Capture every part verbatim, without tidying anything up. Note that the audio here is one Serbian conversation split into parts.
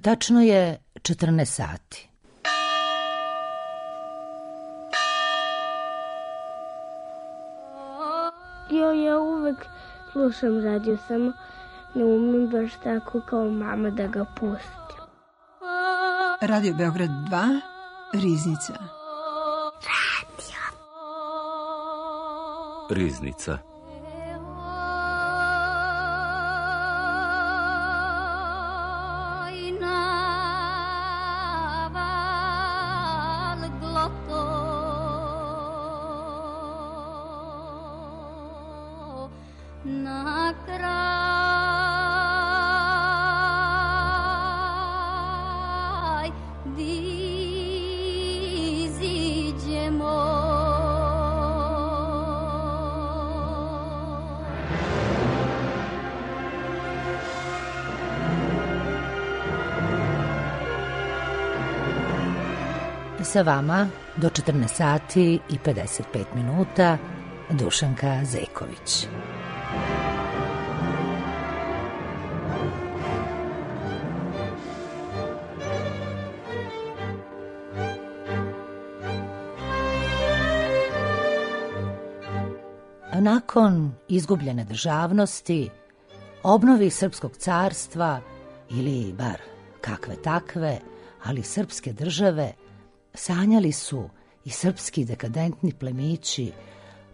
Tačno je četrnaest sati. Jo, ja uvek slušam radio, samo ne umem baš tako kao mama da ga pustim. Radio Beograd dva, Riznica. Radio. Riznica. Sa vama do četrnaest sati i pedeset pet minuta Dušanka Zeković. Nakon izgubljene državnosti, obnovi srpskog carstva ili bar kakve takve, ali srpske države, sanjali su i srpski dekadentni plemići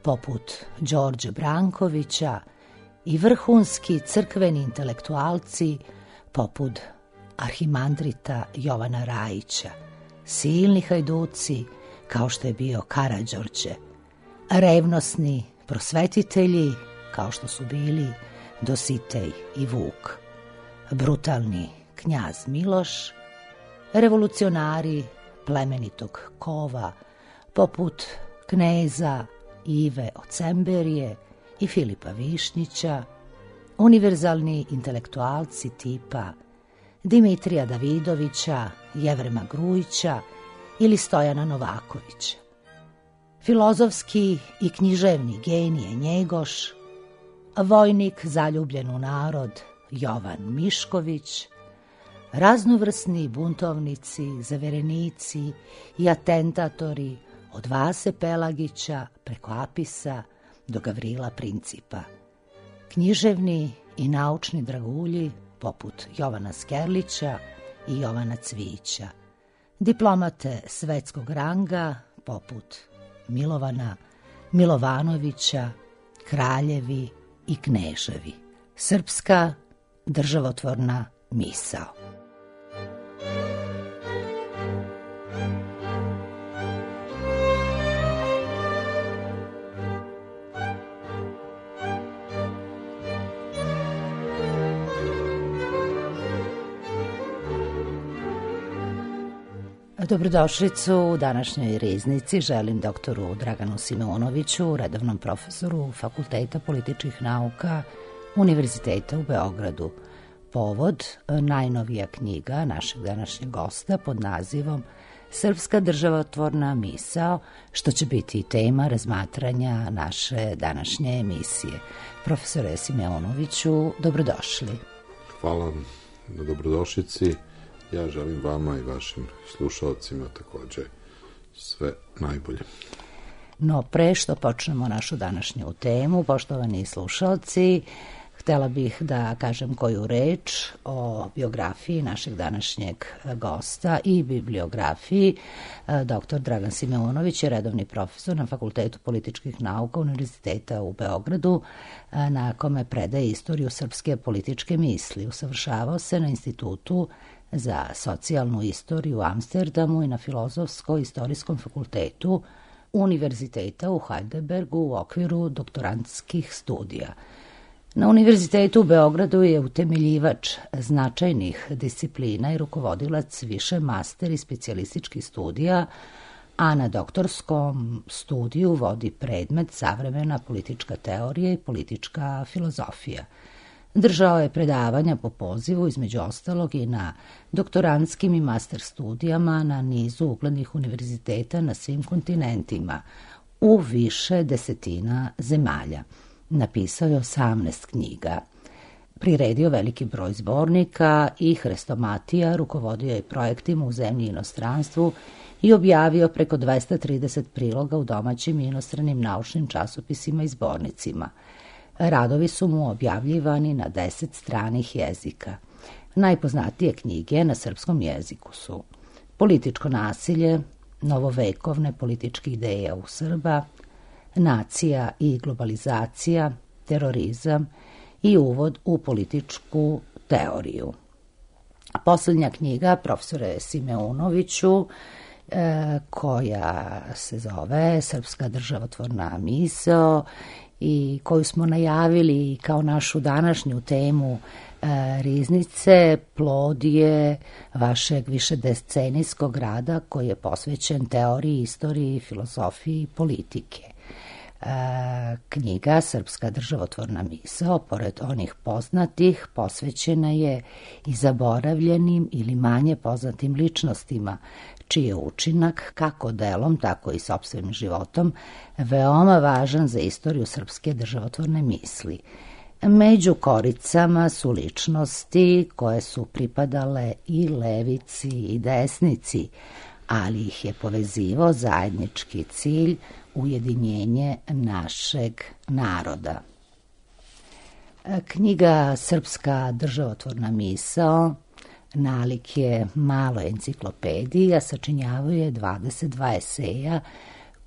poput Đorđe Brankovića i vrhunski crkveni intelektualci poput arhimandrita Jovana Rajića, silni hajduci kao što je bio Karađorđe, revnosni prosvetitelji kao što su bili Dositej i Vuk, brutalni knjaz Miloš, revolucionari plemenitog kova poput kneza Ive Ocemberije i Filipa Višnjića, univerzalni intelektualci tipa Dimitrija Davidovića, Jevrema Grujića ili Stojana Novakovića, filozofski i književni genije Njegoš, vojnik zaljubljen u narod Jovan Mišković, raznovrsni buntovnici, zaverenici i atentatori od Vase Pelagića preko Apisa do Gavrila Principa, književni i naučni dragulji poput Jovana Skerlića i Jovana Cvijića, diplomate svetskog ranga poput Milovana Milovanovića, kraljevi i kneževi. Srpska državotvorna misao. Dobrodošlicu u današnjoj Riznici želim doktoru Draganu Simeonoviću, redovnom profesoru Fakulteta političkih nauka Univerziteta u Beogradu. Povod, najnovija knjiga našeg današnjeg gosta pod nazivom Srpska državotvorna misao, što će biti i tema razmatranja naše današnje emisije. Profesore Simeonoviću, dobrodošli. Hvala na dobrodošlici. Ja želim vama i vašim slušalcima također sve najbolje. No, pre što počnemo našu današnju temu, poštovani slušalci, htjela bih da kažem koju reč o biografiji našeg današnjeg gosta i bibliografiji. Doktor Dragan Simeonović je redovni profesor na Fakultetu političkih nauka Univerziteta u Beogradu, na kome predaje istoriju srpske političke misli. Usavršavao se na Institutu za socijalnu istoriju u Amsterdamu i na Filozofsko-istorijskom fakultetu Univerziteta u Heidelbergu u okviru doktorantskih studija. Na Univerzitetu u Beogradu je utemeljivač značajnih disciplina i rukovodilac više master i specijalističkih studija, a na doktorskom studiju vodi predmet savremena politička teorija i politička filozofija. Držao je predavanja po pozivu, između ostalog i na doktorantskim i master studijama na nizu uglednih univerziteta na svim kontinentima, u više desetina zemalja. Napisao je osamnaest knjiga. priredio veliki broj zbornika i hrestomatija, rukovodio je projektima u zemlji i inostranstvu i objavio preko dvesta trideset priloga u domaćim i inostranim naučnim časopisima i zbornicima. Radovi su mu objavljivani na deset stranih jezika. Najpoznatije knjige na srpskom jeziku su Političko nasilje, novovekovne političke ideje u Srba, Nacija i globalizacija, Terorizam i Uvod u političku teoriju. Poslednja knjiga profesore Simeunoviću, e, koja se zove Srpska državotvorna misao i koju smo najavili kao našu današnju temu e, Riznice, plod je vašeg višedecenijskog rada koji je posvećen teoriji, istoriji, filozofiji i politike. E, knjiga Srpska državotvorna misao, pored onih poznatih, posvećena je i zaboravljenim ili manje poznatim ličnostima, čiji je učinak, kako delom, tako i sopstvenim životom, veoma važan za istoriju srpske državotvorne misli. Među koricama su ličnosti koje su pripadale i levici i desnici, ali ih je povezivao zajednički cilj, ujedinjenje našeg naroda. Knjiga Srpska državotvorna misao nalik je maloj enciklopediji, a sačinjavaju je dvadeset dva eseja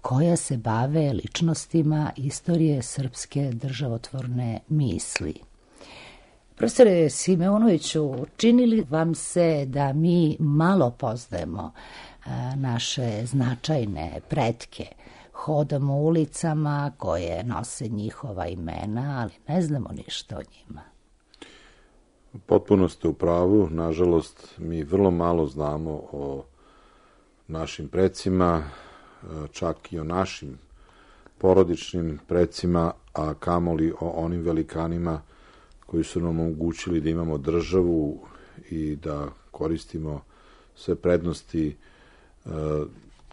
koja se bave ličnostima istorije srpske državotvorne misli. Profesore Simeunoviću, čini li vam se da mi malo poznajemo naše značajne pretke? Hodamo ulicama koje nose njihova imena, ali ne znamo ništa o njima. Potpuno ste u pravu. Nažalost, mi vrlo malo znamo o našim precima, čak i o našim porodičnim precima, a kamoli o onim velikanima koji su nam omogućili da imamo državu i da koristimo sve prednosti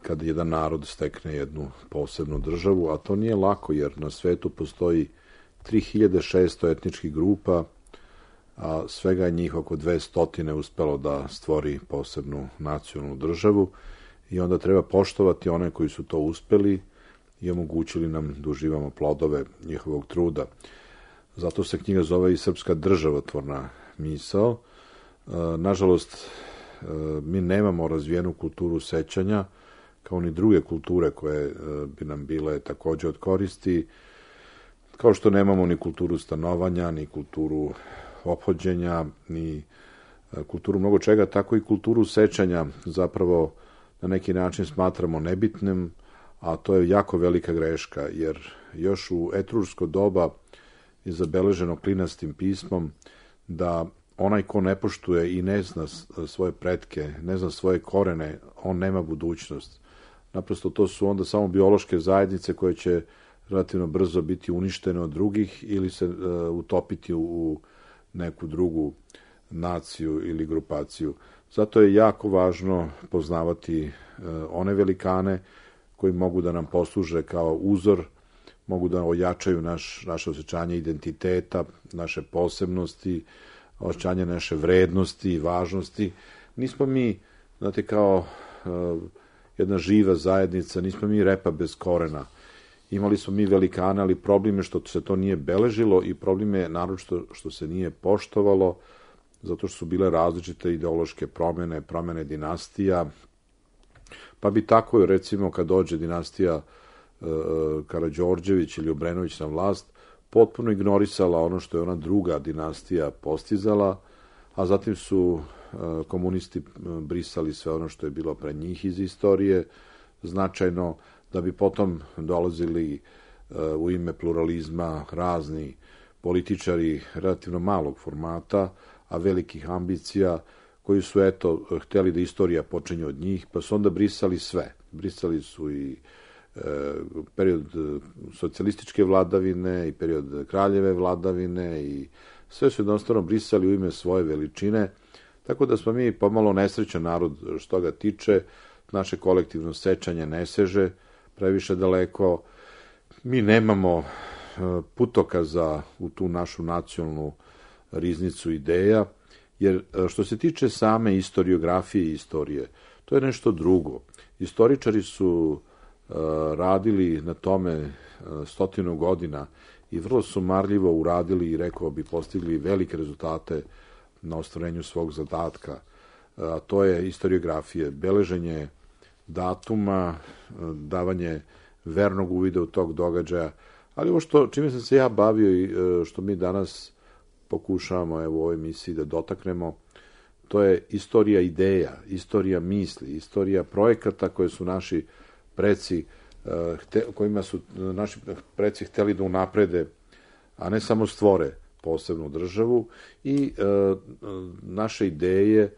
kada jedan narod stekne jednu posebnu državu, a to nije lako jer na svetu postoji tri hiljade šesto etničkih grupa, a svega je njih oko dvesta uspelo da stvori posebnu nacionalnu državu i onda treba poštovati one koji su to uspeli i omogućili nam da uživamo plodove njihovog truda. Zato se knjiga zove i Srpska državotvorna misao. Nažalost, mi nemamo razvijenu kulturu sećanja, kao ni druge kulture koje bi nam bile takođe od koristi, kao što nemamo ni kulturu stanovanja, ni kulturu ophođenja, ni kulturu mnogo čega, tako i kulturu sećanja zapravo na neki način smatramo nebitnim, a to je jako velika greška, jer još u etruško doba je zabeleženo klinastim pismom da onaj ko ne poštuje i ne zna svoje pretke, ne zna svoje korene, on nema budućnost. Naprosto to su onda samo biološke zajednice koje će relativno brzo biti uništene od drugih ili se uh, utopiti u neku drugu naciju ili grupaciju. Zato je jako važno poznavati uh, one velikane koji mogu da nam posluže kao uzor, mogu da ojačaju naš, naše osjećanje identiteta, naše posebnosti, osjećanje naše vrednosti i važnosti. Nismo mi, znate, kao uh, jedna živa zajednica, nismo mi repa bez korena. Imali smo mi velikane, ali problem je što se to nije beležilo i problem je naročito što se nije poštovalo, zato što su bile različite ideološke promjene, promjene dinastija. Pa bi tako, recimo, kad dođe dinastija uh, Karađorđević ili Obrenović na vlast, potpuno ignorisala ono što je ona druga dinastija postizala, a zatim su uh, komunisti brisali sve ono što je bilo pre njih iz istorije, značajno, da bi potom dolazili uh, u ime pluralizma razni političari relativno malog formata, a velikih ambicija, koji su, eto, hteli da istorija počinje od njih, pa su onda brisali sve. Brisali su i e, period socijalističke vladavine i period kraljeve vladavine i sve su jednostavno brisali u ime svoje veličine, tako da smo mi pomalo nesrećan narod što ga tiče, naše kolektivno sećanje ne seže previše daleko, mi nemamo putokaza u tu našu nacionalnu riznicu ideja, jer što se tiče same istoriografije i istorije, to je nešto drugo. Istoričari su uh, radili na tome uh, stotinu godina i vrlo su marljivo uradili i, rekao bi, postigli velike rezultate na ostvarenju svog zadatka. A to je istoriografije, beleženje datuma, davanje vernog uvida u tog događaja, ali ovo što, čime sam se ja bavio i što mi danas pokušavamo evo, u ovoj emisiji da dotaknemo, to je istorija ideja, istorija misli, istorija projekata koje su naši preci, kojima su naši preci hteli da unaprede, a ne samo stvore posebnu državu, i naše ideje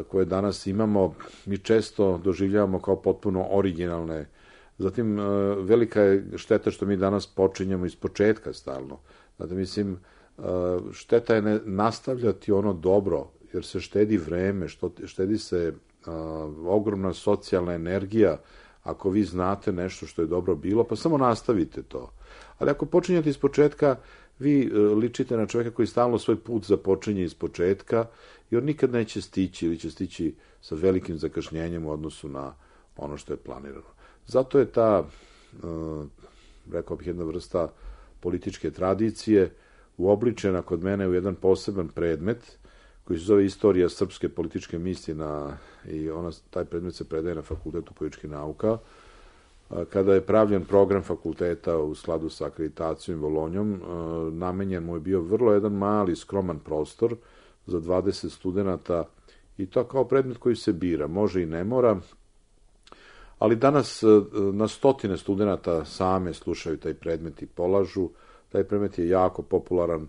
koje danas imamo, mi često doživljavamo kao potpuno originalne. Zatim, velika je šteta što mi danas počinjemo iz početka stalno. Znate, mislim, šteta je ne nastavljati ono dobro, jer se štedi vreme, štedi se ogromna socijalna energija. Ako vi znate nešto što je dobro bilo, pa samo nastavite to. Ali ako počinjete iz početka, vi ličite na čovjeka koji stalno svoj put započinje iz početka i on nikad neće stići ili će stići sa velikim zakašnjenjem u odnosu na ono što je planirano. Zato je ta, rekao bih, jedna vrsta političke tradicije uobličena kod mene u jedan poseban predmet koji se zove Istorija srpske političke misli na, i ona, taj predmet se predaje na Fakultetu političkih nauka. Kada je pravljen program fakulteta u skladu sa akreditacijom i Bolonjom, namenjen mu je bio vrlo jedan mali, skroman prostor za dvadeset studenata i to kao predmet koji se bira, može i ne mora, ali danas na stotine studenata same slušaju taj predmet i polažu. Taj predmet je jako popularan.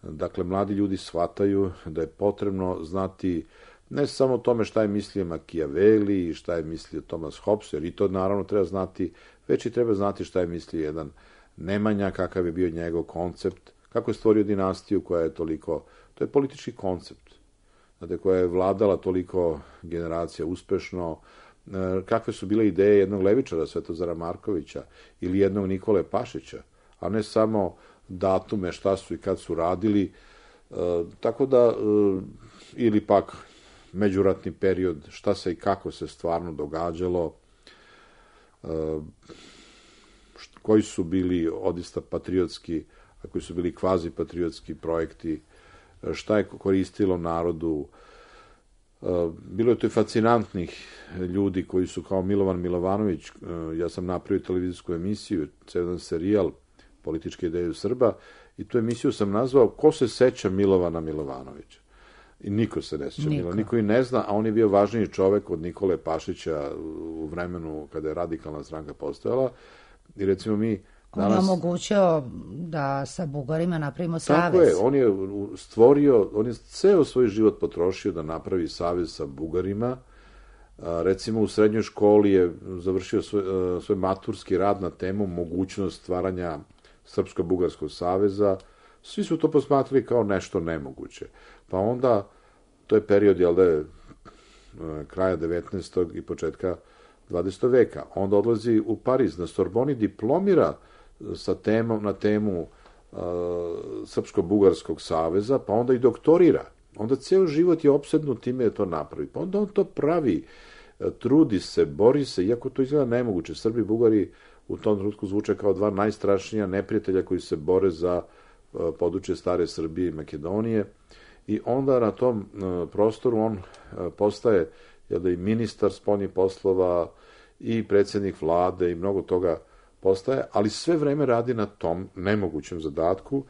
Dakle, mladi ljudi shvataju da je potrebno znati ne samo o tome šta je mislio Machiavelli i šta je mislio Thomas Hobbes, jer i to naravno treba znati, već i treba znati šta je mislio jedan Nemanja, kakav je bio njegov koncept, kako je stvorio dinastiju koja je toliko, to je politički koncept, znate, koja je vladala toliko generacija uspešno, kakve su bile ideje jednog levičara, Svetozara Markovića, ili jednog Nikole Pašića, a ne samo datume šta su i kad su radili, tako da, ili pak međuratni period, šta se i kako se stvarno događalo, koji su bili odista patriotski, a koji su bili kvazi patriotski projekti, šta je koristilo narodu. Bilo je to i fascinantnih ljudi koji su kao Milovan Milovanović, ja sam napravio televizijsku emisiju, jedan serijal Političke ideje Srba, i tu emisiju sam nazvao Ko se seća Milovana Milovanovića? I niko se ne seća Milovana, niko i ne zna, a on je bio važniji čovek od Nikole Pašića u vremenu kada je radikalna stranka postojala. I recimo mi danas... On je omogućio da sa Bugarima napravimo savez. Tako je, on je stvorio, on je ceo svoj život potrošio da napravi savez sa Bugarima. Recimo u srednjoj školi je završio svoj, svoj maturski rad na temu mogućnost stvaranja Srpsko-Bugarskog saveza. Svi su to posmatrali kao nešto nemoguće. Pa onda, to je period, jel da je, kraja devetnaestog i početka dvadesetog veka. Onda odlazi u Pariz, na Sorboni diplomira sa temom, na temu uh, Srpsko-Bugarskog saveza, pa onda i doktorira. Onda ceo život je opsednut time da to napravi. Pa onda on to pravi, trudi se, bori se, iako to izgleda nemoguće. Srbi i Bugari u tom trenutku zvuče kao dva najstrašnija neprijatelja koji se bore za uh, područje stare Srbije i Makedonije. I onda na tom uh, prostoru on uh, postaje, jel da, i ministar spoljnih poslova i predsjednik vlade i mnogo toga postaje, ali sve vreme radi na tom nemogućem zadatku,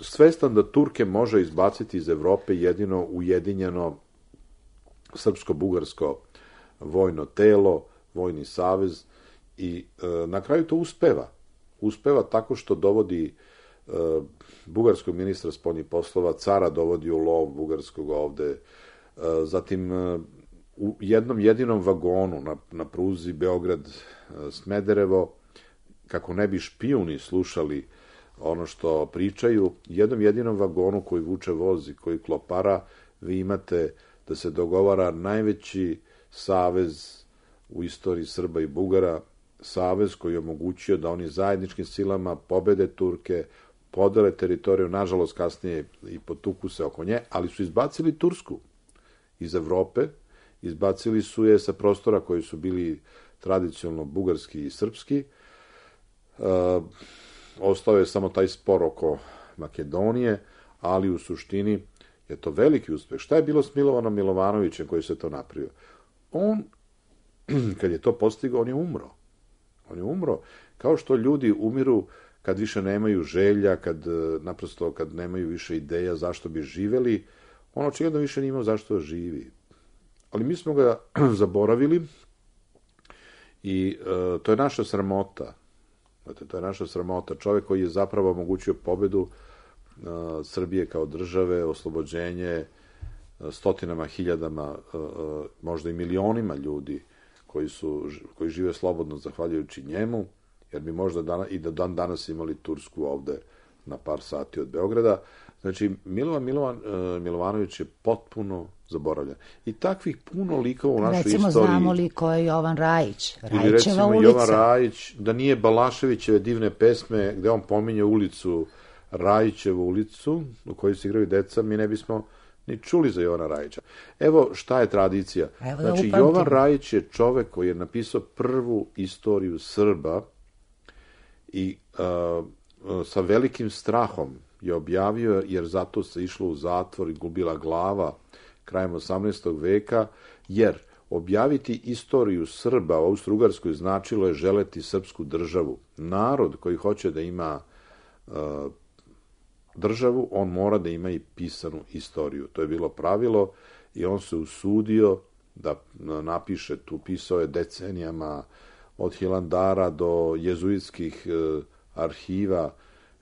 svestan da Turke može izbaciti iz Evrope jedino ujedinjeno srpsko-bugarsko vojno telo, vojni savez, i e, na kraju to uspeva. Uspeva tako što dovodi e, bugarskog ministra spoljnih poslova, cara dovodi u lov bugarskog ovde, e, zatim e, u jednom jedinom vagonu na, na pruzi Beograd-Smederevo, kako ne bi špijuni slušali ono što pričaju, jednom jedinom vagonu koji vuče voz i koji klopara, vi imate da se dogovara najveći savez u istoriji Srba i Bugara, savez koji je omogućio da oni zajedničkim silama pobede Turke, podele teritoriju, nažalost kasnije i potuku se oko nje, ali su izbacili Tursku iz Evrope, izbacili su je sa prostora koji su bili tradicionalno bugarski i srpski. Uh, ostao je samo taj spor oko Makedonije, ali u suštini je to veliki uspeh. Šta je bilo s Milovanom Milovanovićem koji se to napravio? On, kad je to postigao, on je umro. On je umro. Kao što ljudi umiru kad više nemaju želja, kad naprosto kad nemaju više ideja zašto bi živeli, on očigledno više nije imao zašto živi. Ali mi smo ga zaboravili i uh, to je naša sramota. Znate, to je naša sramota. Čovjek koji je zapravo omogućio pobedu uh, Srbije kao države, oslobođenje uh, stotinama, hiljadama, uh, uh, možda i milionima ljudi koji, su, koji žive slobodno zahvaljujući njemu, jer bi možda dana, i da dan danas imali Tursku ovde na par sati od Beograda. Znači, Milovan Milovan, uh, Milovanović je potpuno zaboravljen. I takvih puno likova u našoj recimo, istoriji. Recimo, znamo li ko je Jovan Rajić? Ili recimo ulica. Jovan Rajić, da nije Balaševićeve divne pesme gde on pominje ulicu, Rajićevu ulicu, u kojoj se igraju deca, mi ne bismo ni čuli za Jovana Rajića. Evo šta je tradicija. Evo znači, da Jovan Rajić je čovek koji je napisao prvu istoriju Srba i uh, sa velikim strahom je objavio, jer zato se išlo u zatvor i gubila glava krajem osamnaestog veka, jer objaviti istoriju Srba u Austro-Ugarskoj značilo je želeti srpsku državu. Narod koji hoće da ima uh, državu, on mora da ima i pisanu istoriju. To je bilo pravilo i on se usudio da napiše, tu pisao je decenijama od Hilandara do jezuitskih uh, arhiva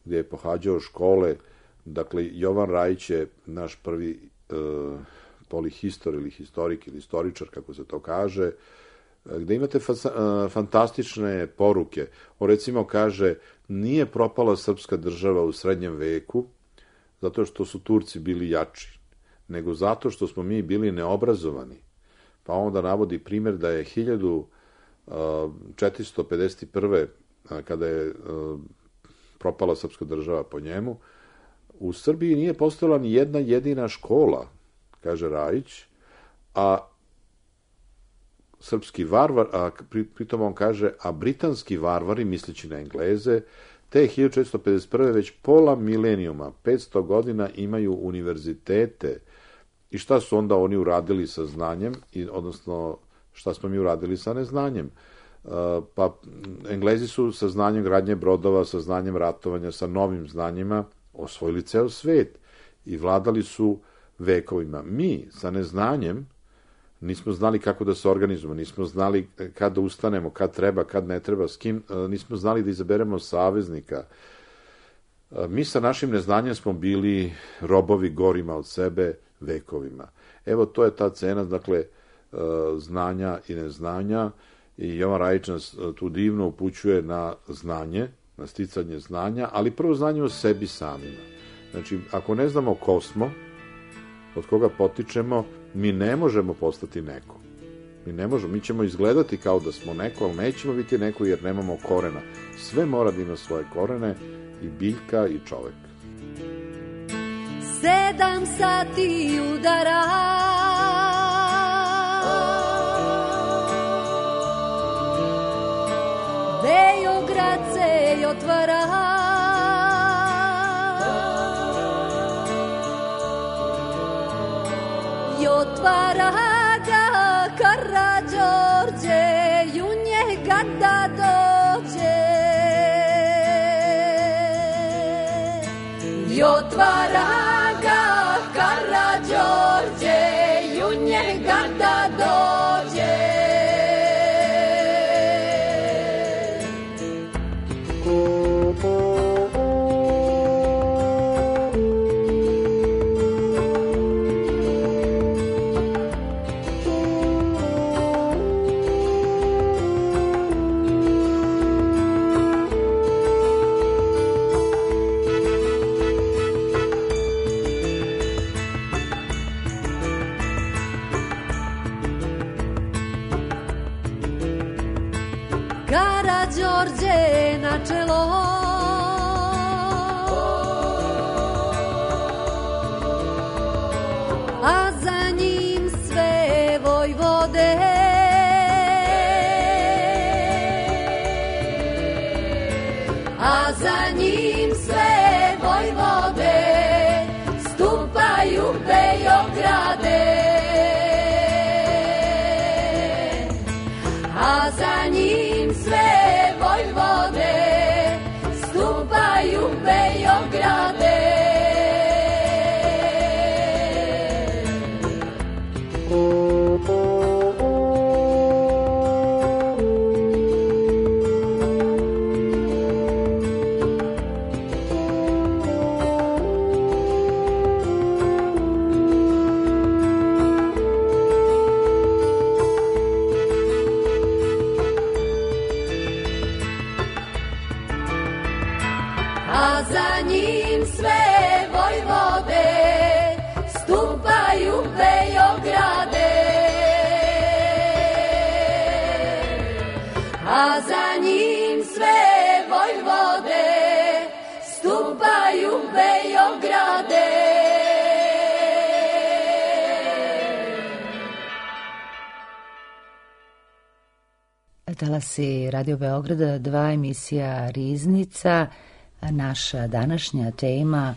gdje je pohađao škole. Dakle, Jovan Rajić je naš prvi uh, polihistor ili historik ili istoričar, kako se to kaže, gde imate fa- fantastične poruke. On recimo kaže, nije propala srpska država u srednjem veku zato što su Turci bili jači, nego zato što smo mi bili neobrazovani. Pa onda navodi primjer da je hiljadu četiristo pedeset prve kada je propala srpska država po njemu, u Srbiji nije postojala ni jedna jedina škola, kaže Rajić, a srpski varvar, a pri, pritom on kaže, a britanski varvari, misleći na Engleze, te hiljadu četiristo pedeset prve već pola milenijuma, petsto godina imaju univerzitete. I šta su onda oni uradili sa znanjem, i, odnosno šta smo mi uradili sa neznanjem? Uh, pa Englezi su sa znanjem gradnje brodova, sa znanjem ratovanja, sa novim znanjima osvojili ceo svet i vladali su vekovima. Mi sa neznanjem nismo znali kako da se organizujemo, nismo znali kad da ustanemo, kad treba, kad ne treba, s kim, nismo znali da izaberemo saveznika. Mi sa našim neznanjem smo bili robovi gorima od sebe vekovima. Evo, to je ta cena, dakle, znanja i neznanja, i Jovan Rajić nas tu divno upućuje na znanje, na sticanje znanja, ali prvo znanje o sebi samima. Znači, ako ne znamo ko smo, od koga potičemo, mi ne možemo postati neko. Mi ne možemo, mi ćemo izgledati kao da smo neko, ali nećemo biti neko jer nemamo korena. Sve mora da ima svoje korene, i biljka i čovek. Sedam sati udara, Beograd se otvara, i otvara ga Karađorđe, i u njega da dođe. I otvara ga Karađorđe, i u njega da dođe. Karađorđe na čelo, vojvode. A za njim sve vojvode stupaju Beograde. A za njim sve vojvode stupaju Beograde. A za njim sve vojvode stupaju Beograde. A za njim sve vojvode stupaju Beograde. Talasi Radio Beograda, dva, emisija Riznica. Naša današnja tema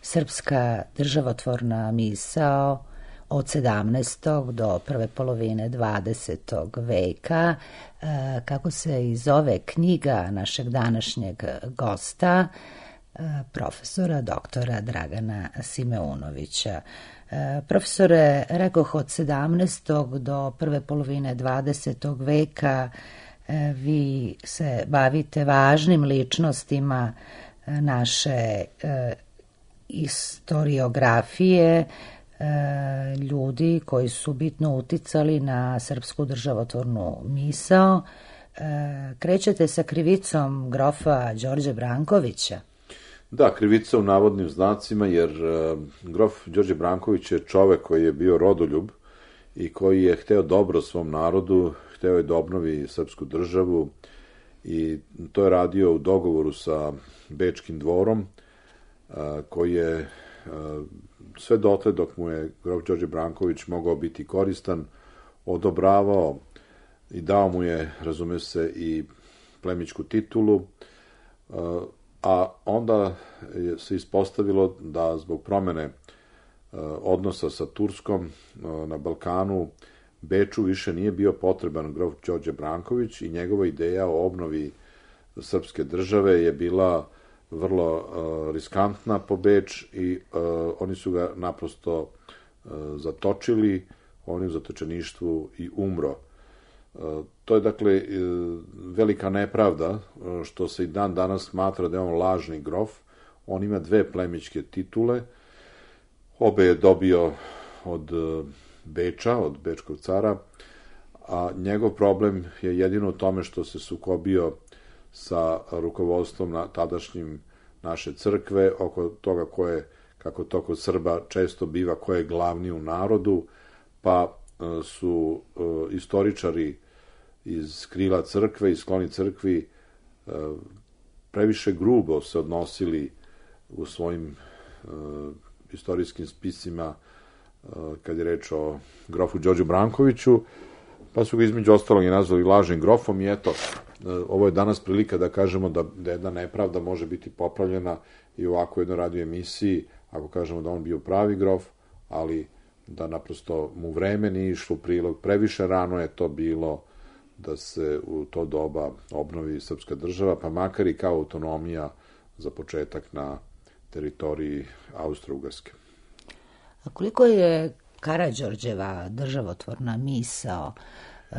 srpska državotvorna misao od sedamnaestog do prve polovine dvadesetog veka, kako se i zove knjiga našeg današnjeg gosta, profesora doktora Dragana Simeunovića. Profesore, rekoh od sedamnaestog do prve polovine dvadesetog veka vi se bavite važnim ličnostima naše e, istoriografije, e, ljudi koji su bitno uticali na srpsku državotvornu misao. E, krećete sa krivicom grofa Đorđe Brankovića. Da, krivica u navodnim znacima, jer e, grof Đorđe Branković je čovek koji je bio rodoljub i koji je hteo dobro svom narodu, hteo je da obnovi srpsku državu i to je radio u dogovoru sa Bečkim dvorom, koji je sve dotle dok mu je grof Đorđe Branković mogao biti koristan, odobravao i dao mu je, razume se, i plemićku titulu, a onda se ispostavilo da zbog promene odnosa sa Turskom na Balkanu Beču više nije bio potreban grof Đorđe Branković i njegova ideja o obnovi srpske države je bila vrlo uh, riskantna po Beč i uh, oni su ga naprosto uh, zatočili, on je u zatočeništvu i umro. Uh, to je dakle uh, velika nepravda uh, što se i dan danas smatra da je on lažni grof. On ima dve plemićke titule, obe je dobio od uh, Beča, od Bečkog cara, a njegov problem je jedino u tome što se sukobio sa rukovodstvom na tadašnjim naše crkve oko toga ko je, kako to kod Srba često biva, ko je glavni u narodu, pa su uh, istoričari iz krila crkve i skloni crkvi uh, previše grubo se odnosili u svojim uh, istorijskim spisima kad je reč o grofu Đorđu Brankoviću, pa su ga između ostalog i nazvali lažnim grofom i eto, ovo je danas prilika da kažemo da, da jedna nepravda može biti popravljena i u ovako jednoj radio emisiji, ako kažemo da on bio pravi grof, ali da naprosto mu vreme nije išlo u prilog, previše rano je to bilo da se u to doba obnovi srpska država, pa makar i kao autonomija za početak na teritoriji Austro-Ugarske. A koliko je Karađorđeva državotvorna misao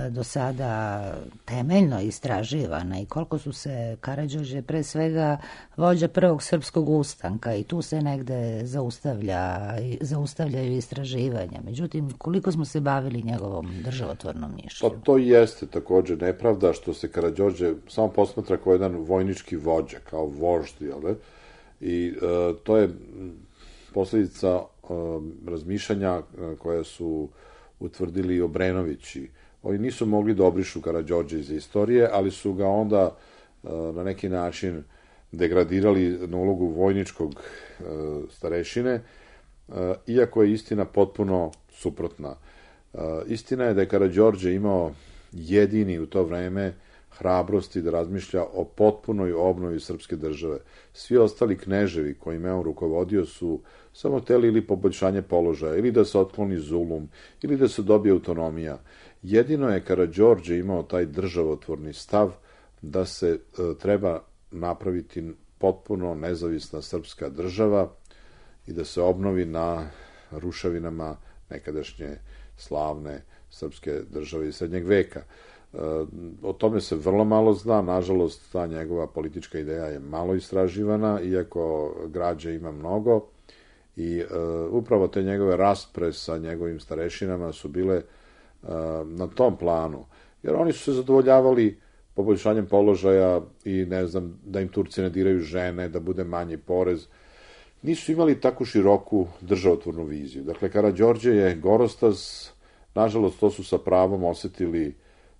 do sada temeljno istraživana i koliko su se Karađorđe pre svega vođa prvog srpskog ustanka i tu se negde zaustavlja, zaustavljaju istraživanja. Međutim, koliko smo se bavili njegovom državotvornom mišlju? Pa to jeste također nepravda što se Karađorđe samo posmatra kao jedan vojnički vođa, kao vožd, jel da? I e, to je posljedica e, razmišljanja koja su utvrdili Obrenovići. Oni nisu mogli da obrišu Karađorđe iz istorije, ali su ga onda e, na neki način degradirali na ulogu vojničkog e, starešine, e, iako je istina potpuno suprotna. Istina je da je Karađorđe imao jedini u to vreme hrabrosti da razmišlja o potpunoj obnovi srpske države. Svi ostali kneževi kojima je on rukovodio su samo hteli ili poboljšanje položaja, ili da se otkloni zulum, ili da se dobije autonomija. Jedino je Karađorđe imao taj državotvorni stav da se e, treba napraviti potpuno nezavisna srpska država i da se obnovi na ruševinama nekadašnje slavne srpske države iz srednjeg veka. O tome se vrlo malo zna, nažalost ta njegova politička ideja je malo istraživana, iako građe ima mnogo i uh, upravo te njegove raspre sa njegovim starešinama su bile uh, na tom planu, jer oni su se zadovoljavali poboljšanjem položaja i ne znam, da im Turci ne diraju žene, da bude manji porez. Nisu imali tako široku državotvornu viziju. Dakle, Karađorđe je gorostaz, nažalost to su sa pravom osetili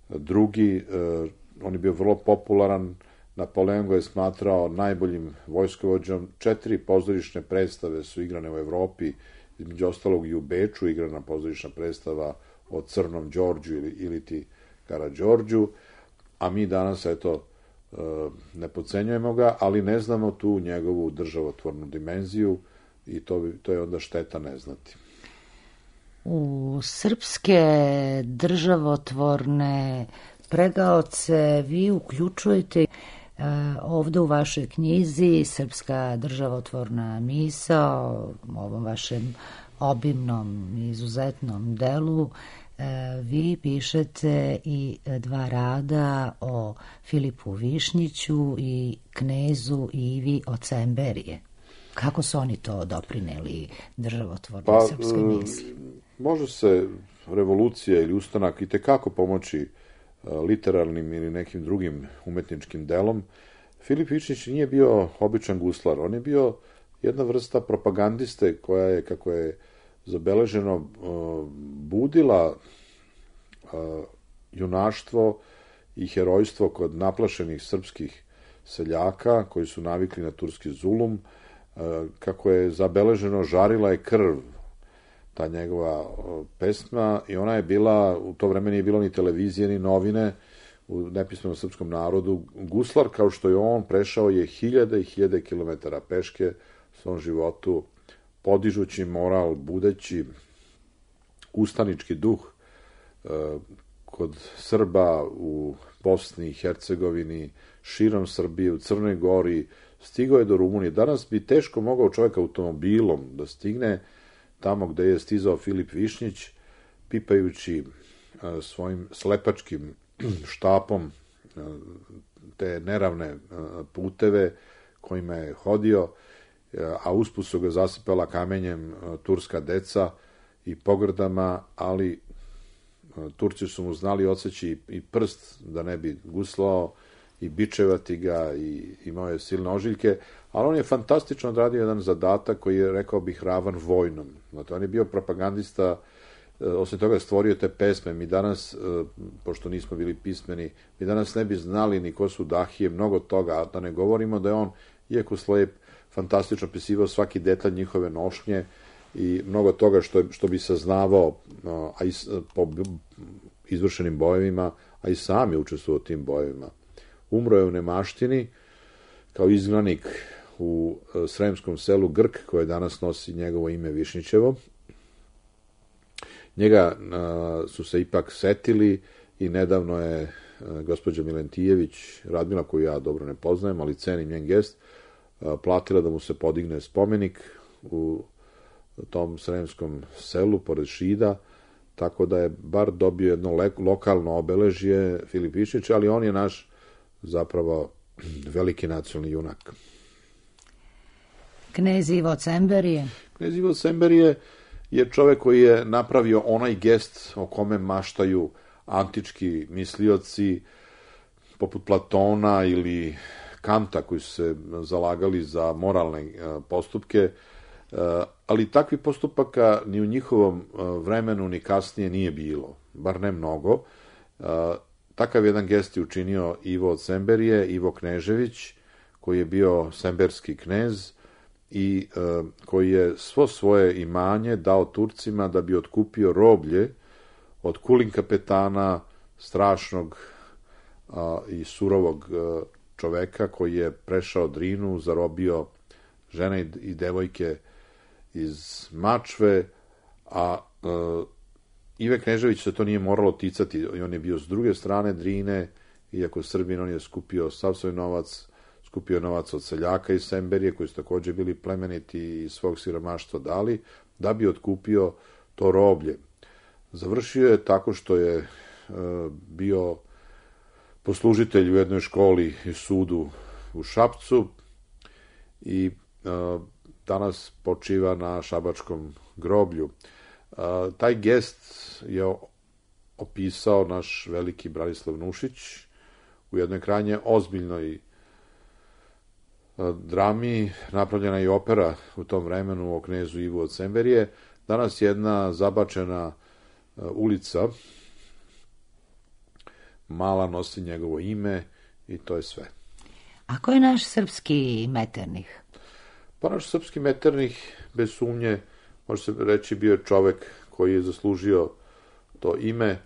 drugi, eh, on je bio vrlo popularan, Napoleon ga je smatrao najboljim vojskovođom, četiri pozorišne predstave su igrane u Evropi, između ostalog i u Beču igrana pozorišna predstava o Crnom Đorđu ili, ili ti Karađorđu, a mi danas, eto, eh, ne podcenjujemo ga, ali ne znamo tu njegovu državotvornu dimenziju i to, bi, to je onda šteta ne znati. U srpske državotvorne pregaoce vi uključujete uh, ovde u vašoj knjizi Srpska državotvorna misao, u ovom vašem obimnom i izuzetnom delu, uh, vi pišete i dva rada o Filipu Višnjiću i knezu Ivi od Semberije. Kako su oni to doprineli državotvornoj pa, srpskoj misli? Može se revolucija ili ustanak i tekako pomoći literarnim ili nekim drugim umetničkim delom. Filip Višnjić nije bio običan guslar, on je bio jedna vrsta propagandiste koja je, kako je zabeleženo, budila junaštvo i herojstvo kod naplašenih srpskih seljaka koji su navikli na turski zulum. Kako je zabeleženo, žarila je krv ta njegova pesma i ona je bila, u to vreme nije bilo ni televizije ni novine u nepismenom srpskom narodu. Guslar, kao što je on, prešao je hiljade i hiljade kilometara peške u svom životu, podižući moral, budeći ustanički duh kod Srba u Bosni i Hercegovini, širom Srbije, u Crnoj Gori, stigao je do Rumunije. Danas bi teško mogao čovjek automobilom da stigne tamo gde je stizao Filip Višnjić, pipajući a, svojim slepačkim štapom a, te neravne a, puteve kojima je hodio, a, a usput su ga zasipala kamenjem a, turska deca i pogrdama, ali a, Turci su mu znali odseći i prst da ne bi guslao i bičevati ga i imao je silne ožiljke, ali on je fantastično odradio jedan zadatak koji je, rekao bih, ravan vojnom. Znate, on je bio propagandista, osim toga stvorio te pesme. Mi danas, pošto nismo bili pismeni, mi danas ne bi znali ni ko su Dahije, mnogo toga, a da ne govorimo da je on, iako slep, fantastično pisivao svaki detalj njihove nošnje i mnogo toga što, što bi saznavao, a i po izvršenim bojevima, a i sam je učestvovao u tim bojevima. Umro je u nemaštini kao izgnanik u sremskom selu Grk, koje danas nosi njegovo ime Višnjićevo. Njega a, su se ipak setili i nedavno je a, gospođa Milentijević, Radmila, koju ja dobro ne poznajem, ali cenim njen gest, a, platila da mu se podigne spomenik u tom sremskom selu pored Šida, tako da je bar dobio jedno le, lokalno obeležje Filip Višnjić, ali on je naš zapravo veliki nacionalni junak. Knez Ivo od Semberije? Knez Ivo od Semberije je čovek koji je napravio onaj gest o kome maštaju antički mislioci poput Platona ili Kanta, koji su se zalagali za moralne postupke, ali takvi postupaka ni u njihovom vremenu ni kasnije nije bilo, bar ne mnogo. Takav jedan gest je učinio Ivo od Semberije, Ivo Knežević, koji je bio semberski knez i e, koji je svo svoje imanje dao Turcima da bi otkupio roblje od kulin kapetana, strašnog a, i surovog a, čoveka koji je prešao Drinu, zarobio žene i, i devojke iz Mačve, a a Ive Knežević se to nije moralo ticati, i on je bio s druge strane Drine, iako Srbin, on je skupio sav svoj novac, skupio novac od seljaka iz Semberije, koji su takođe bili plemeniti i svog siromaštva dali, da bi otkupio to roblje. Završio je tako što je e, bio poslužitelj u jednoj školi i sudu u Šapcu i e, danas počiva na šabačkom groblju. E, taj gest je opisao naš veliki Branislav Nušić u jednoj krajnje ozbiljnoj drami, napravljena je i opera u tom vremenu o knezu Ivu od Semberije. Danas jedna zabačena ulica mala nosi njegovo ime i to je sve. A ko je naš srpski Metternich? Pa naš srpski Metternich, bez sumnje, može se reći, bio je čovek koji je zaslužio to ime.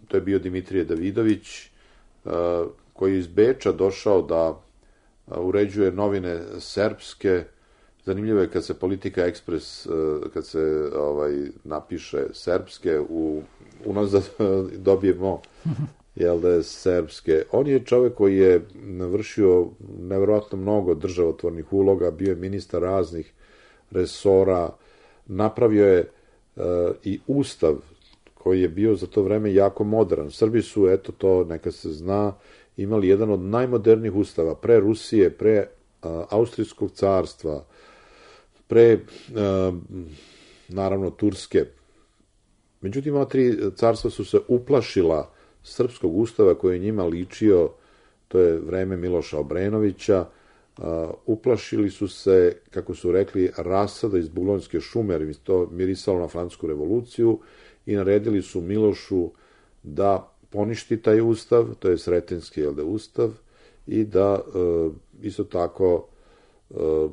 To je bio Dimitrije Davidović, koji je iz Beča došao da uređuje novine serbske. Zanimljivo je kad se Politika Ekspres, kad se ovaj, napiše serbske, u, unazad dobijemo jel da je serbske. On je čovek koji je vršio nevjerojatno mnogo državotvornih uloga, bio je ministar raznih resora, napravio je uh, i ustav koji je bio za to vreme jako modern. Srbi su, eto to neka se zna, imali jedan od najmodernijih ustava, pre Rusije, pre uh, Austrijskog carstva, pre, uh, naravno, Turske. Međutim, ova tri carstva su se uplašila srpskog ustava koji je njima ličio, to je vreme Miloša Obrenovića, uh, uplašili su se, kako su rekli, rasada iz Buglonske šume, jer im to mirisalo na francusku revoluciju, i naredili su Milošu da poništi taj ustav, to je Sretenski jel da, ustav, i da uh, isto tako uh,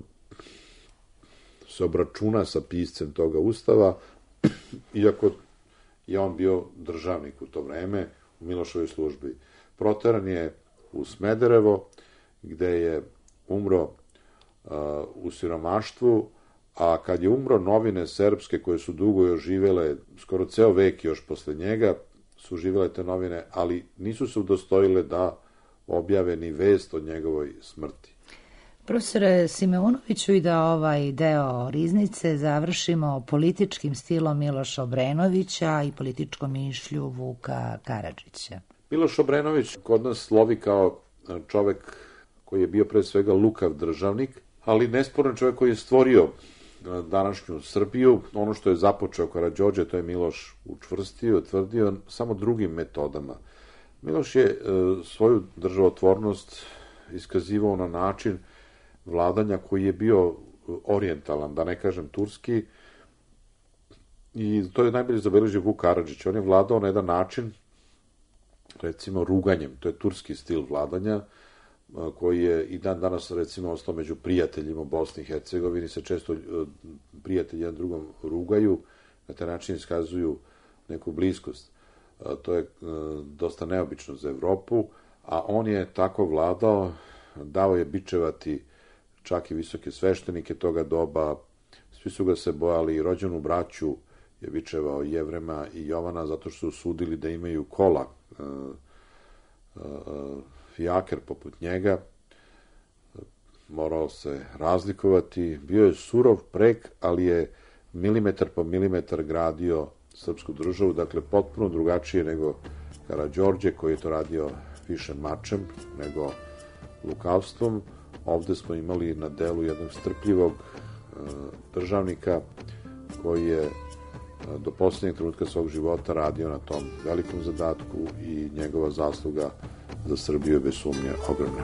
se obračuna sa piscem toga ustava, iako je on bio državnik u to vreme u Milošovoj službi. Proteran je u Smederevo, gde je umro uh, u siromaštvu, a kad je umro, novine srpske koje su dugo još živele, skoro ceo vek još posle njega, su živele te novine, ali nisu se udostojile da objave ni vest o njegovoj smrti. Profesore Simeunoviću, i da ovaj deo Riznice završimo političkim stilom Miloša Obrenovića i političkom mišlju Vuka Karadžića. Miloš Obrenović kod nas slovi kao čovek koji je bio pre svega lukav državnik, ali nesporan čovek koji je stvorio današnju Srbiju. Ono što je započeo Karađorđe, to je Miloš učvrstio, tvrdio samo drugim metodama. Miloš je e, svoju državotvornost iskazivao na način vladanja koji je bio orijentalan, da ne kažem turski, i to je najbolje zabeležio Vuk Karadžić. On je vladao na jedan način, recimo ruganjem, to je turski stil vladanja, koji je i dan danas, recimo, ostao među prijateljima u Bosni i Hercegovini, se često prijatelji jedan drugom rugaju, na taj način iskazuju neku bliskost. To je dosta neobično za Evropu, a on je tako vladao, dao je bičevati čak i visoke sveštenike toga doba, svi su ga se bojali, i rođenu braću je bičevao Jevrema i Jovana, zato što su sudili da imaju kola, fijaker poput njega, morao se razlikovati, bio je surov prek, ali je milimetar po milimetar gradio srpsku državu, dakle potpuno drugačije nego Karađorđe, koji je to radio više mačem nego lukavstvom. Ovde smo imali na delu jednog strpljivog e, državnika koji je e, do poslednjeg trenutka svog života radio na tom velikom zadatku, i njegova zasluga za Srbiju je bez sumnje ogromna.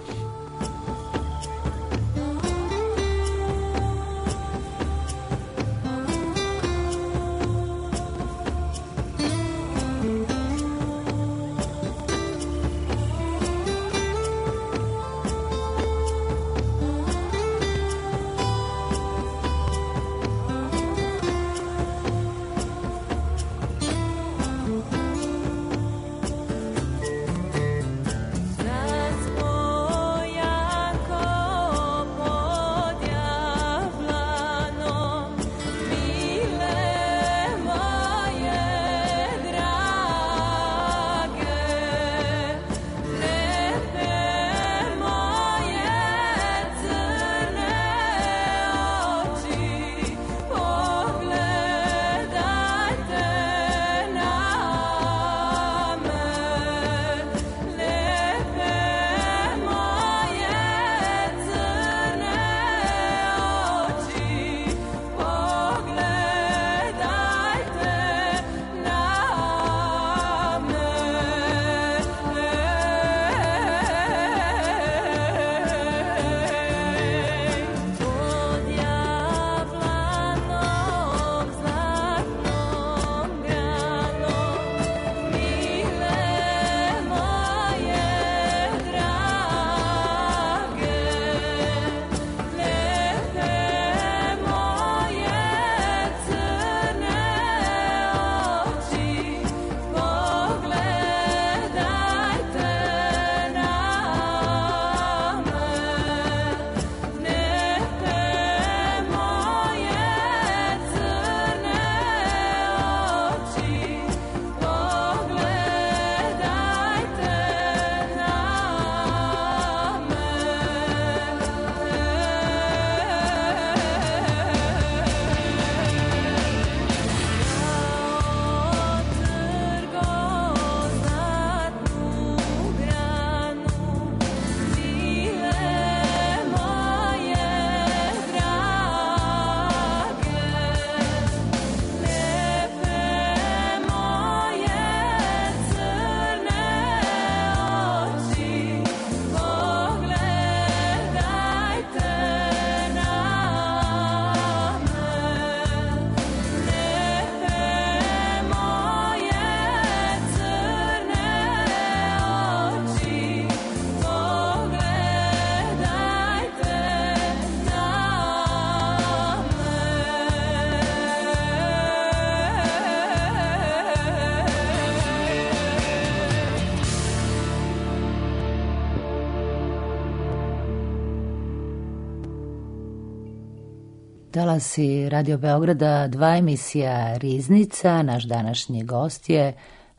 Talasi Radio Beograda, dva emisija Riznica. Naš današnji gost je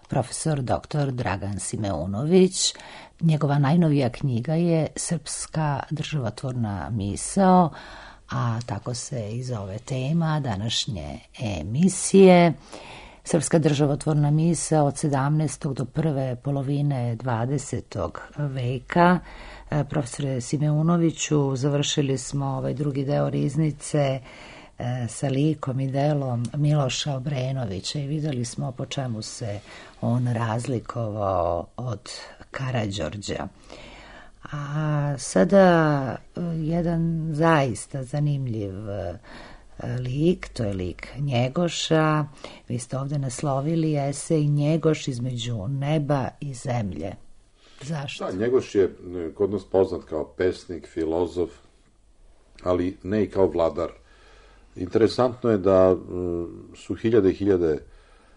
profesor doktor Dragan Simeunović. Njegova najnovija knjiga je Srpska državotvorna misao, a tako se i zove tema današnje emisije. Srpska državotvorna misao od sedamnaestog do prve polovine dvadesetog veka. Profesore Simeunoviću, završili smo ovaj drugi deo Riznice sa likom i delom Miloša Obrenovića i videli smo po čemu se on razlikovao od Karađorđa. A sada jedan zaista zanimljiv lik, to je lik Njegoša. Vi ste ovde naslovili esej Njegoš između neba i zemlje. Zašto? Da, Njegoš je kod nas poznat kao pesnik, filozof, ali ne i kao vladar. Interesantno je da su hiljade i hiljade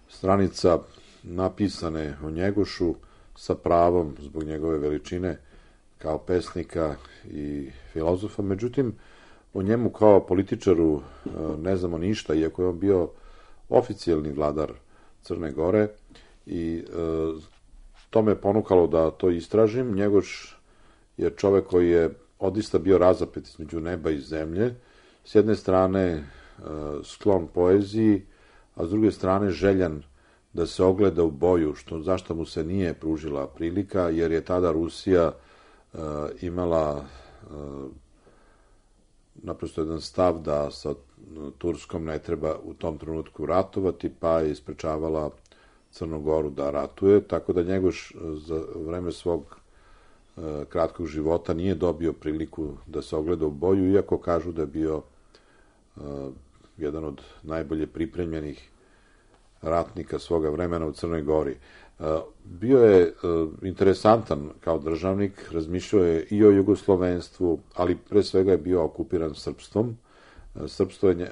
stranica napisane o Njegošu sa pravom zbog njegove veličine kao pesnika i filozofa. Međutim, o njemu kao političaru ne znamo ništa, iako je on bio oficijalni vladar Crne Gore i to me ponukalo da to istražim. Njegoš je čovek koji je odista bio razapet između neba i zemlje. S jedne strane sklon poeziji, a s druge strane željan da se ogleda u boju, što, zašto mu se nije pružila prilika, jer je tada Rusija uh, imala uh, naprosto jedan stav da sa Turskom ne treba u tom trenutku ratovati, pa je isprečavala Crnu Goru da ratuje, tako da Njegoš za vreme svog uh, kratkog života nije dobio priliku da se ogleda u boju, iako kažu da je bio uh, jedan od najbolje pripremljenih ratnika svoga vremena u Crnoj Gori. Bio je interesantan kao državnik, razmišljao je i o jugoslovenstvu, ali pre svega je bio okupiran srpstvom. Srpstvo je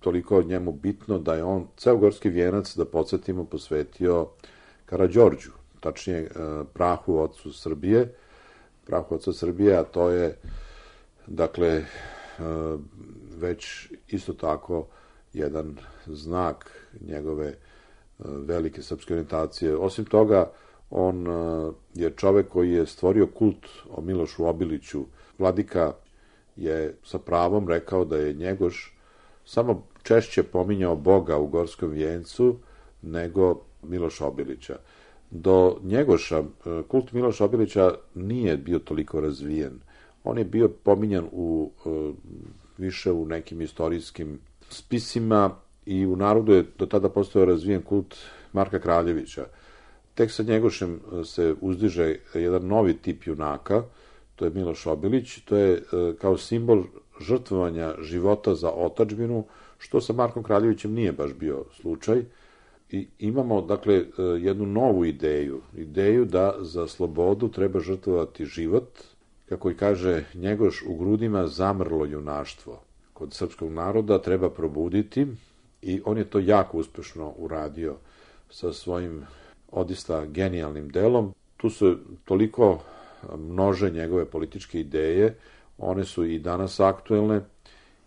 toliko njemu bitno da je on ceo Gorski vijenac, da podsjetimo, posvetio Karađorđu, tačnije prahu ocu Srbije, prahu oca Srbije, a to je, dakle, već isto tako jedan znak njegove velike srpske orijentacije. Osim toga, on je čovek koji je stvorio kult o Milošu Obiliću. Vladika je sa pravom rekao da je Njegoš samo češće pominjao Boga u Gorskom vijencu nego Miloša Obilića. Do Njegoša kult Miloša Obilića nije bio toliko razvijen. On je bio pominjan u, više u nekim istorijskim spisima i u narodu je do tada postojao razvijen kult Marka Kraljevića. Tek sa Njegošem se uzdiže jedan novi tip junaka, to je Miloš Obilić, to je kao simbol žrtvovanja života za otadžbinu, što sa Markom Kraljevićem nije baš bio slučaj. I imamo, dakle, jednu novu ideju, ideju da za slobodu treba žrtvovati život, kako i kaže Njegoš, u grudima zamrlo junaštvo. Kod srpskog naroda treba probuditi i on je to jako uspešno uradio sa svojim odista genijalnim delom. Tu su toliko množe njegove političke ideje, one su i danas aktuelne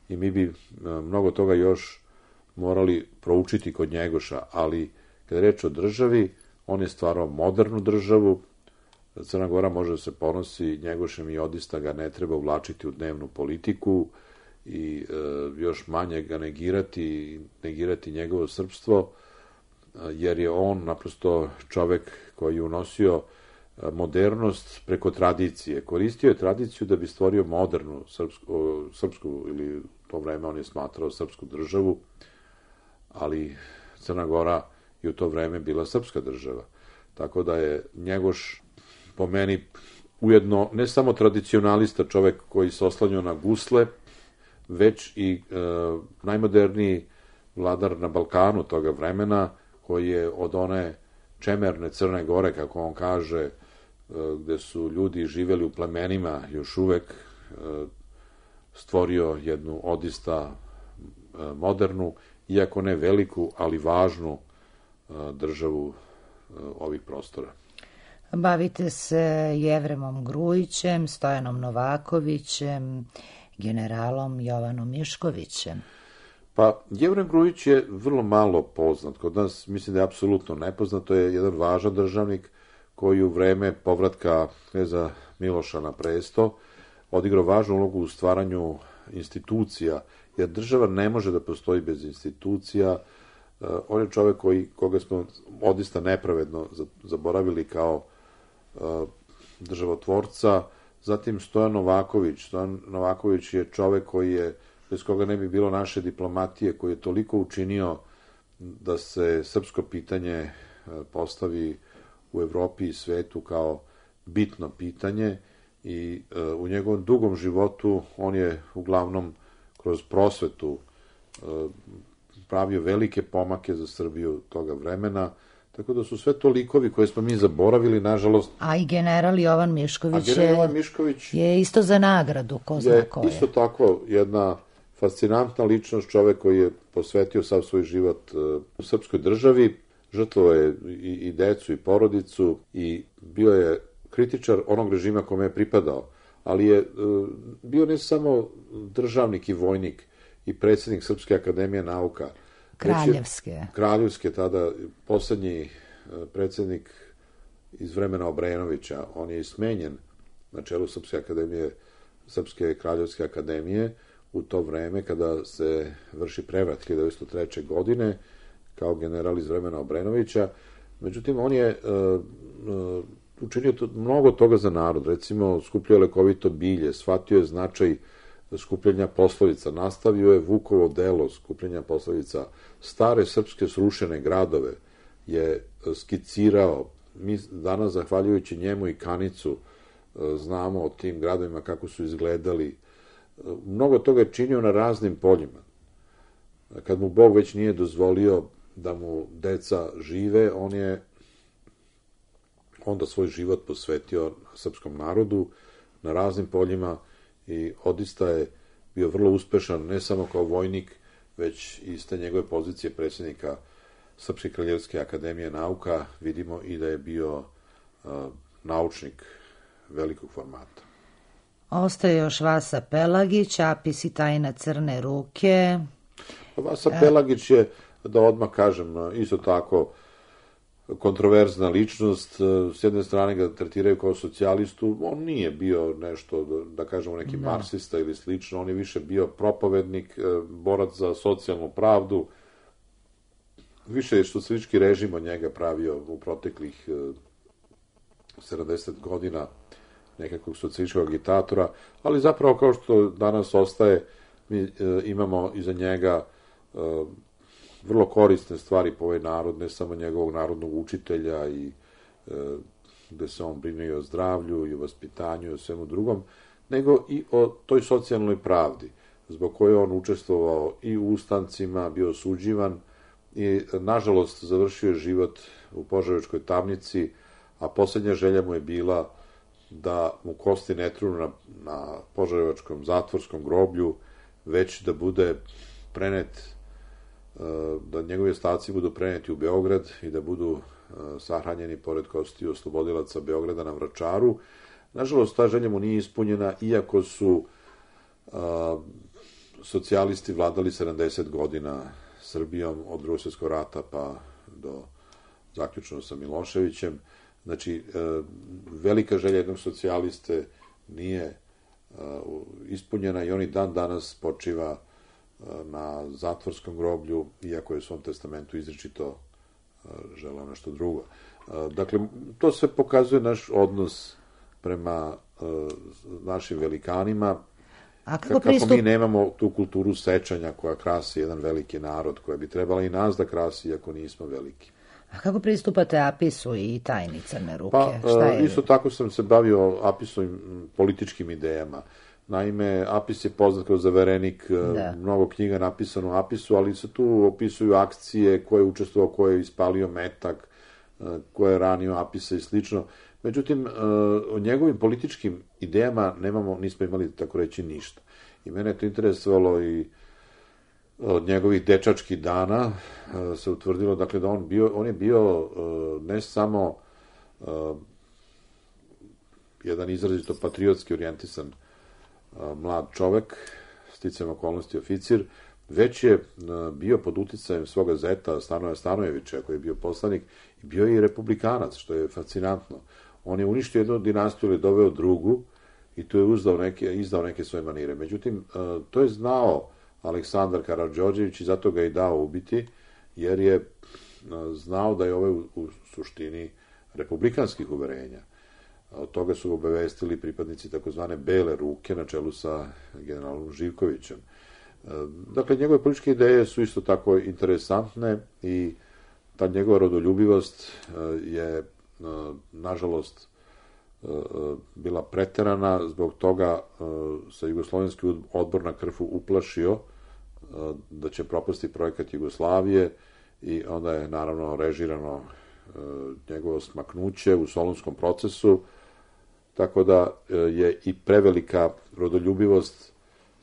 i mi bi mnogo toga još morali proučiti kod Njegoša, ali kada je reč o državi, on je stvarao modernu državu. Crna Gora može da se ponosi Njegošem i odista ga ne treba uvlačiti u dnevnu politiku i e, još manje ga negirati, negirati njegovo srpstvo, jer je on naprosto čovek koji je unosio modernost preko tradicije. Koristio je tradiciju da bi stvorio modernu srpsku, srpsku ili u to vreme on je smatrao srpsku državu, ali Crna Gora je u to vreme bila srpska država. Tako da je Njegoš po meni ujedno ne samo tradicionalista, čovek koji se oslanjao na gusle, već i e, najmoderniji vladar na Balkanu toga vremena, koji je od one čemerne Crne Gore, kako on kaže, e, gde su ljudi živeli u plemenima još uvek, e, stvorio jednu odista e, modernu, iako ne veliku, ali važnu e, državu e, ovih prostora. Bavite se Jevremom Grujićem, Stojanom Novakovićem, generalom Jovanom Miškovićem? Pa, Jevren Grujić je vrlo malo poznat. Kod nas, mislim da je apsolutno nepoznat. To je jedan važan državnik koji u vreme povratka kneza Miloša na presto odigrao važnu ulogu u stvaranju institucija, jer država ne može da postoji bez institucija. On je čovek koji, koga smo odista nepravedno zaboravili kao državotvorca. Zatim Stojan Novaković. Stojan Novaković je čovek koji je, bez koga ne bi bilo naše diplomatije, koji je toliko učinio da se srpsko pitanje postavi u Evropi i svetu kao bitno pitanje, i u njegovom dugom životu on je uglavnom kroz prosvetu pravio velike pomake za Srbiju toga vremena, tako da su sve to likovi koje smo mi zaboravili, nažalost. A i general Jovan Mišković, A general Jovan Mišković je isto za nagradu, ko zna ko je. Isto tako jedna fascinantna ličnost, čovek koji je posvetio sav svoj život u srpskoj državi, žrtvovao je i, i decu i porodicu i bio je kritičar onog režima kome je pripadao, ali je bio ne samo državnik i vojnik i predsjednik Srpske akademije nauka. Kraljevske. Kraljevske, tada poslednji predsjednik iz vremena Obrenovića. On je i smenjen na čelu Srpske akademije, Srpske kraljevske akademije u to vreme kada se vrši prevrat hiljadu devetsto treće. godine kao general iz vremena Obrenovića. Međutim, on je uh, uh, učinio to, mnogo toga za narod. Recimo, skupljio je lekovito bilje, shvatio je značaj skupljenja poslovica, nastavio je Vukovo delo skupljenja poslovica, stare srpske srušene gradove je skicirao. Mi danas, zahvaljujući njemu i Kanicu, znamo o tim gradovima kako su izgledali. Mnogo toga je činio na raznim poljima. Kad mu Bog već nije dozvolio da mu deca žive, on je onda svoj život posvetio srpskom narodu na raznim poljima i odista je bio vrlo uspešan, ne samo kao vojnik, već i iz te njegove pozicije predsjednika Srpske kraljevske akademije nauka vidimo i da je bio uh, naučnik velikog formata. Ostaje još Vasa Pelagić, Apis i tajna crne ruke. Vasa Pelagić je, da odmah kažem, isto tako kontroverzna ličnost. S jedne strane ga tretiraju kao socijalistu, on nije bio nešto, da kažemo, neki no. marksista ili slično, on je više bio propovednik, borac za socijalnu pravdu, više je socijalistički režim od njega pravio u proteklih sedamdeset godina nekakvog socijalističkog agitatora, ali zapravo kao što danas ostaje, mi imamo iza njega vrlo korisne stvari po ovaj narod, ne samo njegovog narodnog učitelja i e, gde se on brine i o zdravlju i o vaspitanju i o svemu drugom, nego i o toj socijalnoj pravdi, zbog koje on učestvovao i u ustancima, bio osuđivan i, nažalost, završio život u Požarevačkoj tamnici, a poslednja želja mu je bila da mu kosti ne trunu na, na Požarevačkom zatvorskom groblju, već da bude prenet, da njegovi ostaci budu preneti u Beograd i da budu sahranjeni pored kostiju oslobodilaca Beograda na Vračaru. Nažalost, ta želja mu nije ispunjena, iako su a, socijalisti vladali sedamdeset godina Srbijom od Drugog svjetskog rata pa do zaključno sa Miloševićem. Znači, a, velika želja jednog socijaliste nije a, ispunjena i on i dan danas počiva na zatvorskom groblju, iako je u svom testamentu izričito želeo nešto drugo. Dakle, to sve pokazuje naš odnos prema našim velikanima, A kako, kako pristup... mi nemamo tu kulturu sećanja koja krasi jedan veliki narod, koja bi trebala i nas da krasi, iako nismo veliki. A kako pristupate Apisu i tajni crne ruke? Pa, Šta je... isto tako sam se bavio Apisovim političkim idejama. Naime, Apis je poznat kao zaverenik, da. Mnogo knjiga napisano o Apisu, ali se tu opisuju akcije, ko je učestvovao, ko je ispalio metak, ko je ranio Apisa i slično. Međutim, o njegovim političkim idejama nemamo, nismo imali, tako reći, ništa. I mene je to interesovalo i od njegovih dečačkih dana se utvrdilo, dakle, da on, bio, on je bio ne samo jedan izrazito patriotski orijentisan mlad čovek, sticajem okolnosti oficir, već je bio pod uticajem svoga zeta Stanoja Stanojevića, koji je bio poslanik, i bio je i republikanac, što je fascinantno. On je uništio jednu dinastiju ili doveo drugu i tu je uzdao neke, izdao neke svoje manire. Međutim, to je znao Aleksandar Karađorđević i zato ga je dao ubiti, jer je znao da je ovaj u, u suštini republikanskih uverenja. Od toga su obavestili pripadnici takozvane Bele ruke na čelu sa generalom Živkovićem. Dakle, njegove političke ideje su isto tako interesantne i ta njegova rodoljubivost je, nažalost, bila preterana, zbog toga se Jugoslovenski odbor na Krfu uplašio da će propasti projekat Jugoslavije i onda je naravno režirano njegovo smaknuće u Solunskom procesu, tako da je i prevelika rodoljubivost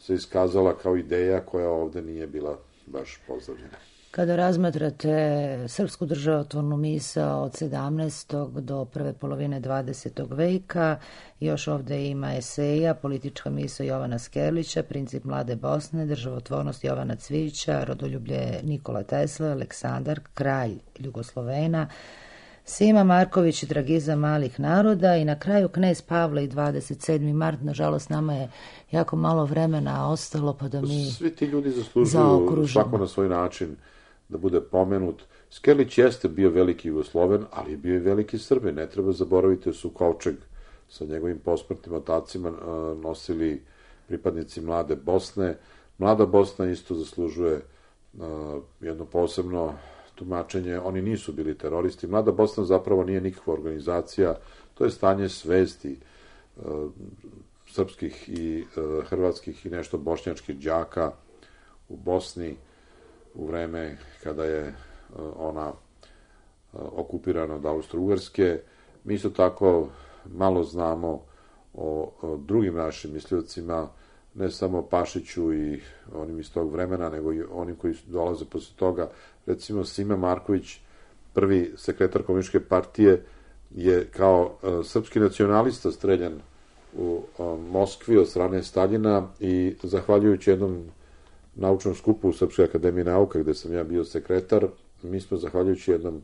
se iskazala kao ideja koja ovde nije bila baš pozdravljena. Kada razmatrate srpsku državotvornu misao od sedamnaestog do prve polovine dvadesetog veka, još ovde ima eseja, politička misao Jovana Skerlića, princip mlade Bosne, državotvornost Jovana Cvijića, rodoljublje Nikola Tesla, Aleksandar, kralj Jugoslovena, Sima Marković i Dragiza malih naroda i na kraju knez Pavle i dvadeset sedmi mart. Nažalost, nama je jako malo vremena ostalo, pa da mi svi ti ljudi zaslužuju zaokružimo. Svako na svoj način da bude pomenut. Skerlić jeste bio veliki Jugosloven, ali je bio i veliki Srbin. Ne treba zaboraviti da su kovčeg sa njegovim posmrtnim otacima nosili pripadnici mlade Bosne. Mlada Bosna isto zaslužuje jedno posebno tumačenje. Oni nisu bili teroristi. Mlada Bosna zapravo nije nikakva organizacija. To je stanje svesti srpskih i hrvatskih i nešto bošnjačkih đaka u Bosni u vreme kada je ona okupirana od Austro-Ugarske. Mi isto tako malo znamo o, o drugim našim misliocima, ne samo Pašiću i onim iz tog vremena, nego i onim koji dolaze posle toga. Recimo, Sima Marković, prvi sekretar komunističke partije, je kao uh, srpski nacionalista streljan u uh, Moskvi od strane Staljina i zahvaljujući jednom naučnom skupu u Srpskoj akademiji nauka, gde sam ja bio sekretar, mi smo zahvaljujući jednom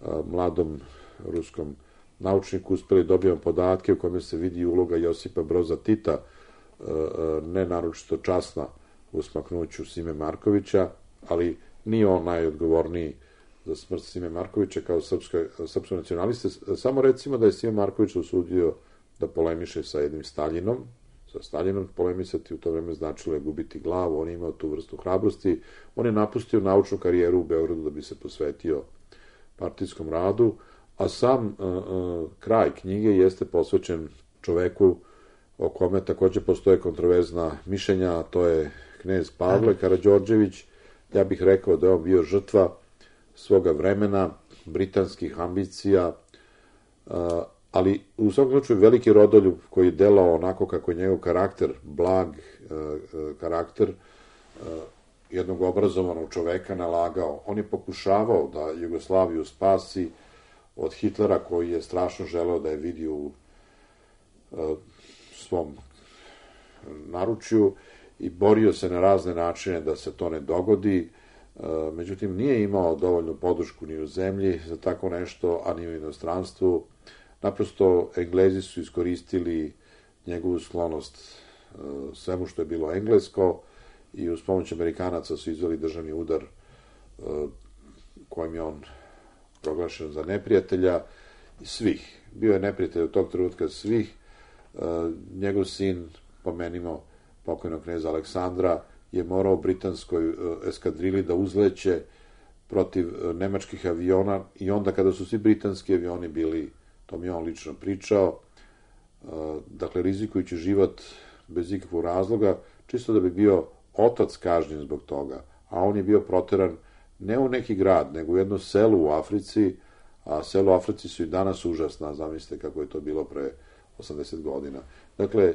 uh, mladom ruskom naučniku uspeli dobijemo podatke u kojima se vidi uloga Josipa Broza Tita, ne naročito časna u smaknuću Sime Markovića, ali nije on najodgovorniji za smrt Sime Markovića kao srpskog nacionaliste. Samo recimo da je Sime Marković usudio da polemiše sa jednim Staljinom. Sa Staljinom polemisati u to vreme značilo je gubiti glavu, on je imao tu vrstu hrabrosti. On je napustio naučnu karijeru u Beogradu da bi se posvetio partijskom radu, a sam uh, uh, kraj knjige jeste posvećen čoveku o kome takođe postoje kontroverzna mišljenja, a to je knez Pavle Karađorđević. Ja bih rekao da je on bio žrtva svoga vremena, britanskih ambicija, ali u svakom slučaju veliki rodoljub koji je delao onako kako je njegov karakter, blag karakter jednog obrazovanog čoveka nalagao. On je pokušavao da Jugoslaviju spasi od Hitlera, koji je strašno želeo da je vidi u svom naručju i borio se na razne načine da se to ne dogodi. Međutim, nije imao dovoljnu podršku ni u zemlji za tako nešto, a ni u inostranstvu. Naprosto, Englezi su iskoristili njegovu sklonost svemu što je bilo englesko i uz pomoć Amerikanaca su izveli državni udar kojim je on proglašen za neprijatelja i svih. Bio je neprijatelj od tog trenutka svih. Njegov sin, pomenimo pokojnog kneza Aleksandra, je morao britanskoj eskadrili da uzleće protiv nemačkih aviona i onda kada su svi britanski avioni bili, to mi je on lično pričao, dakle rizikujući život bez ikakvog razloga, čisto da bi bio otac kažnjen zbog toga, a on je bio proteran ne u neki grad, nego u jedno selo u Africi, a selo u Africi su i danas užasna, zamislite kako je to bilo pre osamdeset godina. Dakle,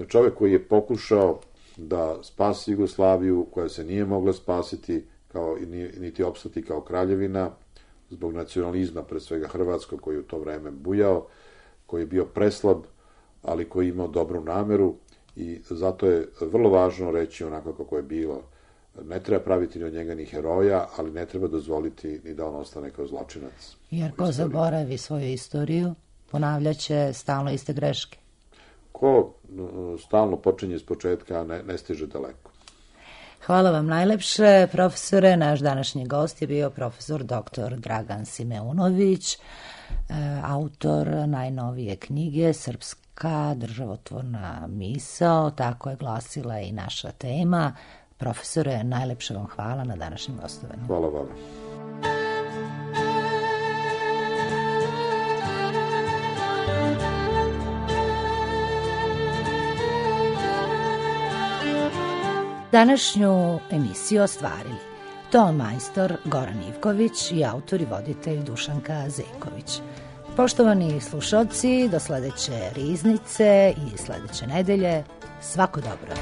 čovjek koji je pokušao da spasi Jugoslaviju, koja se nije mogla spasiti, kao, niti opstati kao kraljevina, zbog nacionalizma, pre svega hrvatskog, koji je u to vreme bujao, koji je bio preslab, ali koji je imao dobru nameru I zato je vrlo važno reći onako kako je bilo. Ne treba praviti ni od njega ni heroja, ali ne treba dozvoliti ni da on ostane kao zločinac. Jer ko zaboravi svoju istoriju, ponavljaće stalno iste greške. Ko stalno počinje iz početka, ne, ne stiže daleko. Hvala vam najlepše, profesore. Naš današnji gost je bio profesor doktor Dragan Simeunović, autor najnovije knjige Srpska državotvorna misao, tako je glasila i naša tema. Profesore, najlepše vam hvala na današnjem gostovanju. Hvala vam. Današnju emisiju ostvarili ton majstor Goran Ivković i autor i voditelj Dušanka Zenković. Poštovani slušalci, do sledeće riznice i sledeće nedelje, svako dobro.